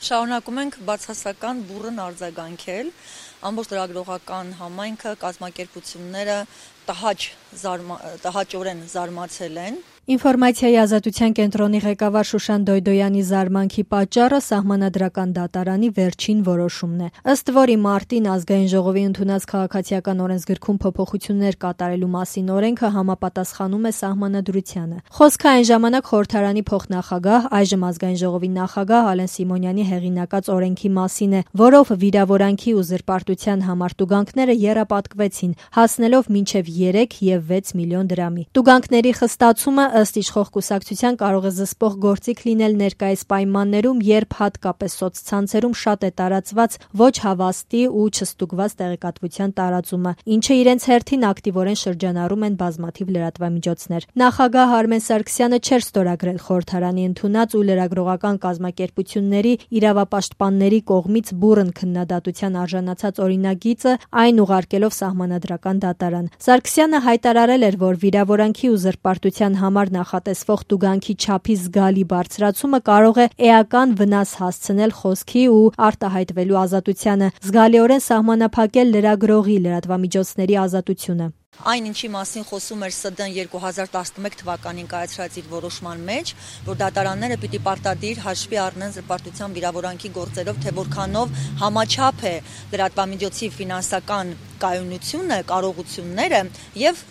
Շարունակում ենք բացասական բուռն արձագանքել, ամբողջ լրագրողական համայնքը, կազմակերպությունները տհաճորեն զարմացել են։ Ինֆորմացիայի ազատության կենտրոնի ղեկավար Շուշան Դոյդոյանի զարմանքի պատճառը Սահմանադրական դատարանի վերջին որոշումն է, ըստ որի մարտին ազգային ժողովի ընդունած քաղաքացիական օրենսգրքում փոփոխություններ կատարելու մասին օրենքը համապատասխանում է Սահմանադրությանը։ Խոսքը այն ժամանակ խորհրդարանի փոխնախագահ, այժմ ազգային ժողովի նախագահ Ալեն Սիմոնյանի հեղինակած օրենքի մասին է, որով վիրավորանքի ու զրպարտության համար տուգանքները եռապատկվեցին, հասնելով մինչև 3 և 6 միլիոն դրամի։ Տուգանքների խստացումը ըստ իշխող կուսակցության կարող է զսպող գործիք լինել ներկայիս պայմաններում, երբ հատկապես սոցցանցերում շատ է տարածված ոչ հավաստի ու չստուգված տեղեկատվության տարածումը, ինչը իրենց հերթին ակտիվորեն շրջանառում են բազմաթիվ լրատվամիջոցներ։ Նախագահ Արմեն Սարգսյանը չէր ստորագրել խորհրդարանի ընդունած ու լրագրողական կազմակերպությունների իրավապաշտպանների կողմից բուռն քննադատության արժանացած օրինագիծը, այն ուղարկելով Սահմանադրական դատարան։ Սարգսյանը հայտարարել էր, որ վիրավորանքի ու զրպարտության համար նախատեսվող տուգանքի չափի զգալի բարձրացումը կարող է էական վնաս հասցնել խոսքի ու արտահայտվելու ազատությանը, զգալիորեն սահմանափակել լրագրողի լրատվամիջոցների ազատությունը։ Այն, ինչի մասին խոսում էր ՍԴ-ն 2011 թվականին կայացրած իր որոշման մեջ, որ դատարանները պիտի պարտադիր հաշվի առնեն զրպարտության վիրավորանքի գործերով, թե որքանով համաչափ է լրատվամիջոցի ֆինանսական կայունությունը, կարողությունները եւ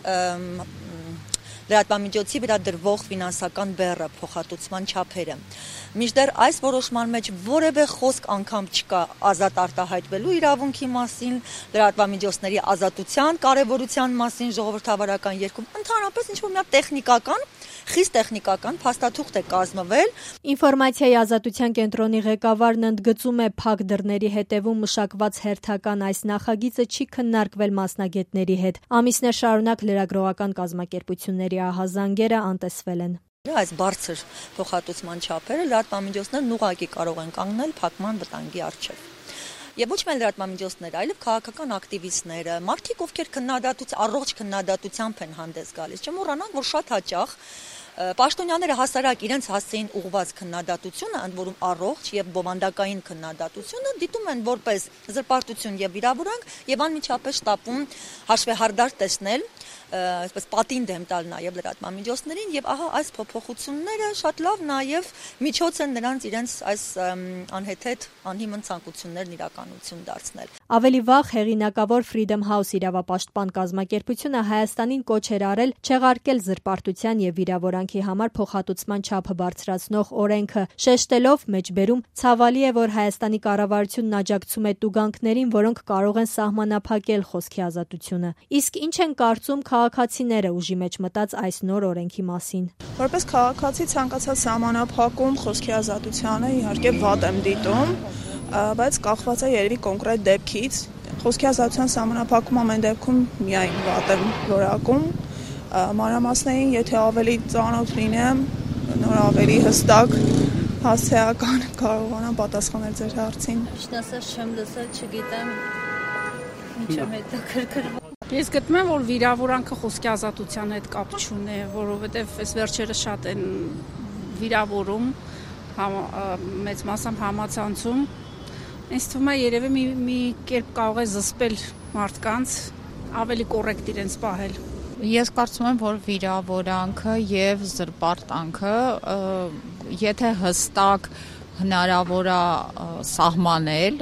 լրատվամիջոցի վրա դրվող ֆինանսական բեռը, փոխհատուցման չափերը։ Մինչդեռ այս որոշման մեջ որևէ խոսք անգամ չկա ազատ արտահայտվելու իրավունքի մասին, լրատվամիջոցների ազատության կարևորության մասին ժողովրդավարական երգում, ընդհանրապես ինչ-որ մի տեխնիկական, խիստ տեխնիկական փաստաթուղթ է կազմվել։ Ինֆորմացիայի ազատության կենտրոնի ղեկավարն ընդգծում է, փակ դռների հետևում մշակված հերթական այս նախագիծը չի քննարկվել մասնագետների հետ։ Ամիսներ շարունակ լրագրողական կազմակերպությունների ահազանգերը անտեսվել են։ Այս բարձր փոխհատուցման չափերը լրատվամիջոցներն ուղղակի կարող են կանգնել փակման վտանգի առջև։ Եվ ոչ միայն լրատվամիջոցները, այլև քաղաքական ակտիվիստները, մարդիկ, ովքեր առողջ քննադատությամբ են հանդես գալիս, չմոռանանք, որ շատ հաճախ պաշտոնյաները հասարակ իրենց հասցեին ուղղված քննադատությունը, ընդ որում առողջ եւ բովանդակային քննադատությունը դիտում են որպես զրպարտություն եւ վիրավորանք եւ անմիջապես շտապում հաշվեհարդար տեսնել, այսպես պատին դեմ տալ նաեւ լրատվամիջոցներին եւ ահա այս փոփոխությունները շատ լավ նաեւ միջոց են նրանց իրենց այս անհեթեթ անհիմն ցանկություններն իրականություն դարձնել։ Ավելի վաղ հեղինակավոր Freedom House իրավապաշտպան կազմակերպությունը Հայաստանին կոչ էր արել չեղարկել զրպարտության եւ վիրավորանքի համար փոխհատուցման չափը բարձրացնող օրենքը, շեշտելով մեջբերում ցավալի է, որ Հայաստանի կառավարությունն աջակցում է տուգանքներին, որոնք կարող են սահմանափակել խոսքի ազատությունը։ Իսկ ինչ են կարծում քաղաքացիները ուժի մեջ մտած այս նոր օրենքի մասին։ Որպես քաղաքացի ցանկացած սահմանափակում խոսքի ազատությանը իհարկե վատ եմ դիտում, բայց կախված է երևի կոնկրետ դեպքից։ Խոսքի ազատության սահմանափակում ամեն դեպքում միայն վատ եմ որակում։ Մանրամասներին, եթե ավելի ծանոթ լինեմ, նոր ավելի հստակ, հասցեական կարողանամ պատասխանել ձեր հարցին։ Ճիշտ ասած չեմ լսել, չգիտեմ ինչ եմ հետաքրքրվում։ Ես գտնում եմ, որ վիրավորանքը խոսքի ազատության հետ կապ չունի, որովհետև այս վերջերս շատ են վիրավորում, մեծ մասամբ համացանցում։ Ինձ թվում է երևի մի կերպ կարող է զսպել մարդկանց, ավելի կոռեկտ իրենց պահել։ Ես կարծում եմ, որ վիրավորանքը եւ զրպարտանքը, եթե հստակ հնարավոր է սահմանել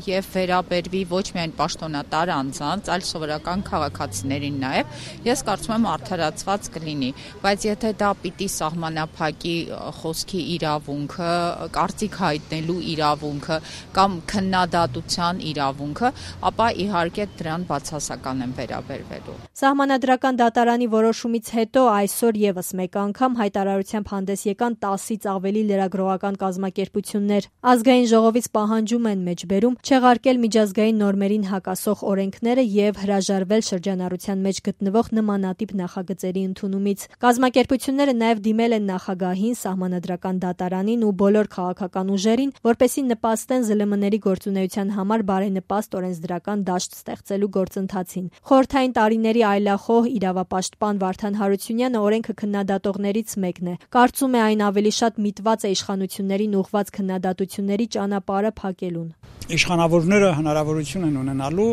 եւ վերաբերվի ոչ միայն պաշտոնատար անձանց, այլ սովորական քաղաքացիներին նաեւ, ես կարծում եմ արդարացված կլինի, բայց եթե դա պիտի սահմանափակի խոսքի իրավունքը, կարծիք հայտնելու իրավունքը կամ քննադատության իրավունքը, ապա իհարկե դրան բացասական են վերաբերվելու։ Սահմանադրական դատարանի որոշումից հետո այսօր եւս մեկ անգամ հայտարարությամբ հանդես եկան 10-ից ավելի լրագրողական կազմակերպություններ։ Ազգային ժողովից պահանջում են մեջբերում չեղարկել միջազգային նորմերին հակասող օրենքները եւ հրաժարվել շրջանառության մեջ գտնվող նմանատիպ նախագծերի ընդունումից։ Կազմակերպությունները նաեւ դիմել են նախագահին, Սահմանադրական դատարանին ու բոլոր քաղաքական ուժերին, որպեսզի նպաստեն ԶԼՄ-ների գործունեության համար բարենպաստ օրենսդրական դաշտ ստեղծելու գործընթացին։ Խորհրդային տարիների այլախոհ իրավապաշտպան Վարդան Հարությունյանը օրենքը քննադատողներից մեկն է։ Կարծում է այն ավելի շատ միտված է իշխանություններին ուղղված քննադատությունների ճանապարհ ճանապարհը փակելուն։ Իշխանավորները հնարավորություն են ունենալու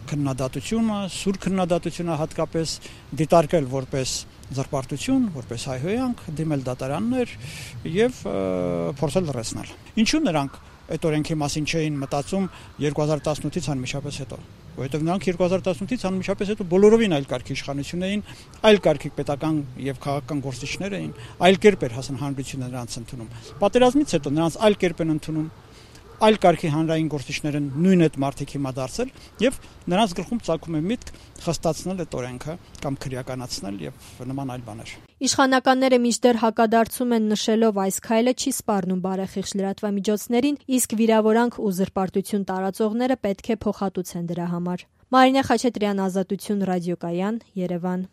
քննադատությունը, սուր քննադատությունը հատկապես դիտարկել որպես զրպարտություն, որպես հայհոյանք, դիմել դատարաններ եւ փորձել լրացնել։ Ինչու նրանք այդ օրենքի մասին չէին մտածում 2018-ից անմիջապես հետո, որովհետեւ նրանք 2018-ից անմիջապես հետո բոլորովին այլ կարգի իշխանություն էին, այլ կարգի պետական եւ քաղաքական գործիչներ էին, այլ կերպ էր հանրությունը նրանց ընդունում։ Պատերազմից հետո նրանց այլ կերպ են ընդունում, այլ կարգի հանրային գործիչները նույն այդ մարդիկ հիմա դարձել եւ նրանց գլխում ծագում է միտք խստացնել այդ օրենքը կամ քրեականացնել եւ նման այլ բաներ։ Իշխանականները մինչդեռ հակադարձում են նշելով այս քայլը չի սպառնում բարեխիղճ լրատվամիջոցներին, իսկ վիրավորանք ու զրպարտություն տարածողները պետք է փոխհատուցեն դրա համար։ Մարինե Խաչատրյան, Ազատություն ռադիոկայան, Երևան։